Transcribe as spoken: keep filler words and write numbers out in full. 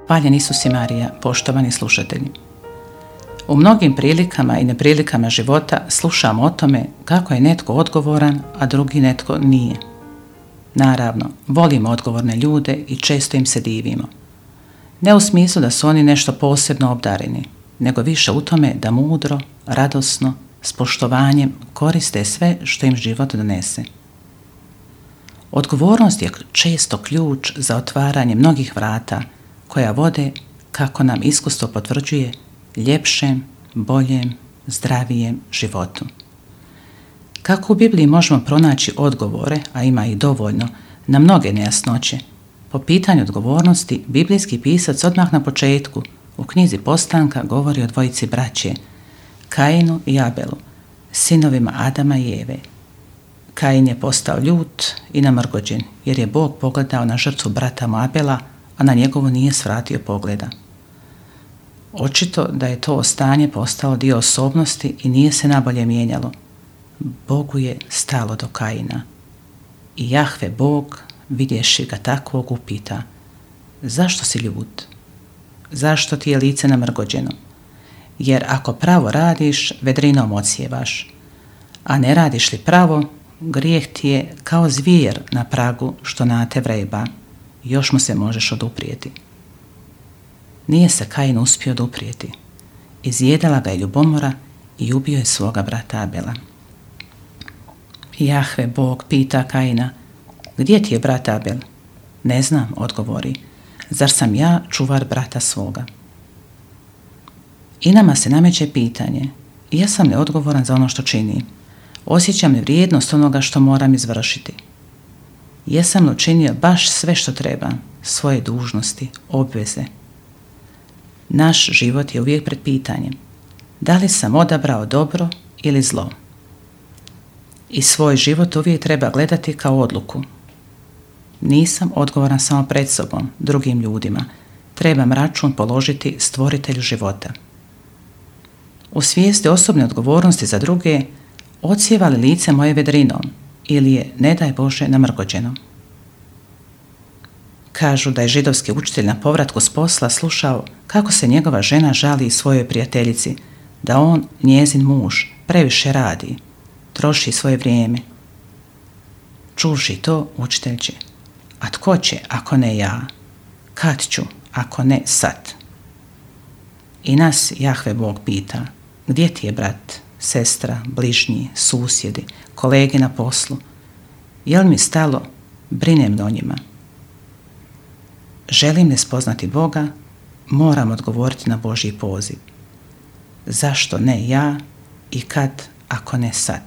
Hvaljen Isus i Marija, poštovani slušatelji. U mnogim prilikama i neprilikama života slušamo o tome kako je netko odgovoran, a drugi netko nije. Naravno, volimo odgovorne ljude i često im se divimo. Ne u smislu da su oni nešto posebno obdareni, nego više u tome da mudro, radosno, s poštovanjem koriste sve što im život donese. Odgovornost je često ključ za otvaranje mnogih vrata koja vode, kako nam iskustvo potvrđuje, ljepšem, boljem, zdravijem životu. Kako u Bibliji možemo pronaći odgovore, a ima ih dovoljno, na mnoge nejasnoće? Po pitanju odgovornosti, biblijski pisac odmah na početku u knjizi Postanka govori o dvojici braće, Kainu i Abelu, sinovima Adama i Eve. Kain je postao ljut i namrgođen, jer je Bog pogledao na žrtvu brata mu Abela, a na njegovu nije svratio pogleda. Očito da je to stanje postalo dio osobnosti i nije se nabolje mijenjalo. Bogu je stalo do Kaina. I Jahve Bog, vidjevši ga takvog, upita: zašto si ljut? Zašto ti je lice namrgođeno? Jer ako pravo radiš, vedrinom odsjevaš, a ne radiš li pravo, grijeh ti je kao zvijer na pragu što na te vreba, još mu se možeš oduprijeti. Nije se Kain uspio oduprijeti. Izjedala ga je ljubomora i ubio je svoga brata Abela. Jahve Bog pita Kaina: gdje ti je brat Abel? Ne znam, odgovori. Zar sam ja čuvar brata svoga? I nama se nameće pitanje: jesam li odgovoran za ono što činim? Osjećam li vrijednost onoga što moram izvršiti? Jesam li učinio baš sve što treba, svoje dužnosti, obveze? Naš život je uvijek pred pitanjem: da li sam odabrao dobro ili zlo? I svoj život uvijek treba gledati kao odluku. Nisam odgovoran samo pred sobom, drugim ljudima. Trebam račun položiti stvoritelju života. U svijesti osobne odgovornosti za druge, odsjeva li lice moje vedrinom ili je, ne daj Bože, namrgođeno? Kažu da je židovski učitelj na povratku s posla slušao kako se njegova žena žali svojoj prijateljici da on, njezin muž, previše radi, troši svoje vrijeme. Čuvši to, učitelj će: a tko će ako ne ja? Kad ću ako ne sad? I nas Jahve Bog pita: gdje ti je brat, sestra, bližnji, susjedi, kolege na poslu? Je li mi stalo? Brinem o njima. Želim li spoznati Boga? Moram odgovoriti na Božji poziv. Zašto ne ja i kad ako ne sad?